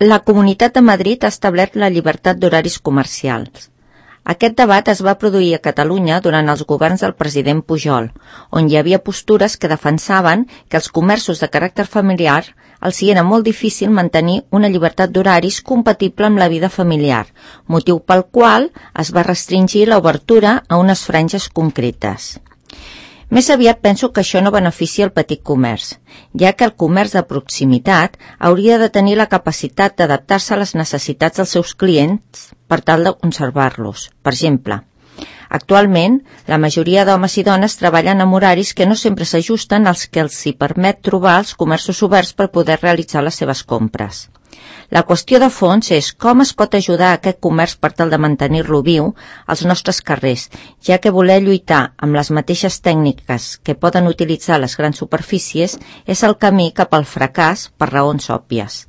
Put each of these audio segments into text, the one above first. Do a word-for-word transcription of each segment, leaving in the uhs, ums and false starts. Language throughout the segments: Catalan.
La Comunitat de Madrid ha establert la llibertat d'horaris comercials. Aquest debat es va produir a Catalunya durant els governs del president Pujol, on hi havia postures que defensaven que els comerços de caràcter familiar els hi era molt difícil mantenir una llibertat d'horaris compatible amb la vida familiar, motiu pel qual es va restringir l'obertura a unes franges concretes. Més aviat penso que això no beneficia el petit comerç, ja que el comerç de proximitat hauria de tenir la capacitat d'adaptar-se a les necessitats dels seus clients per tal de conservar-los. Per exemple, actualment, la majoria d'homes i dones treballen amb horaris que no sempre s'ajusten als que els hi permet trobar els comerços oberts per poder realitzar les seves compres. La qüestió de fons és com es pot ajudar a aquest comerç per tal de mantenir-lo viu als nostres carrers, ja que voler lluitar amb les mateixes tècniques que poden utilitzar les grans superfícies és el camí cap al fracàs per raons òbvies.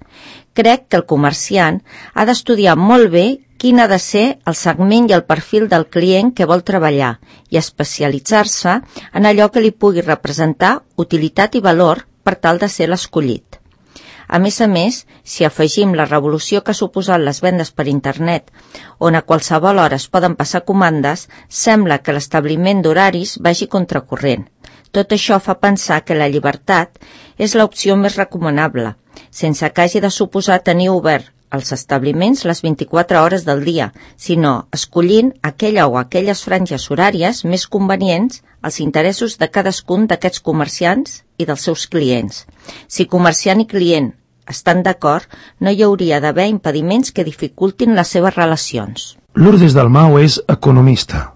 Crec que el comerciant ha d'estudiar molt bé quin ha de ser el segment i el perfil del client que vol treballar i especialitzar-se en allò que li pugui representar utilitat i valor per tal de ser l'escollit. A més a més, si afegim la revolució que ha suposat les vendes per internet, on a qualsevol hora es poden passar comandes, sembla que l'establiment d'horaris vagi contracorrent. Tot això fa pensar que la llibertat és l'opció més recomanable, sense que hagi de suposar tenir obert els establiments les vint-i-quatre hores del dia, sinó escollint aquella o aquelles franges horàries més convenients als interessos de cadascun d'aquests comerciants i dels seus clients. Si comerciant i client estan d'acord, no hi hauria d'haver impediments que dificultin les seves relacions. Lourdes Dalmau és economista.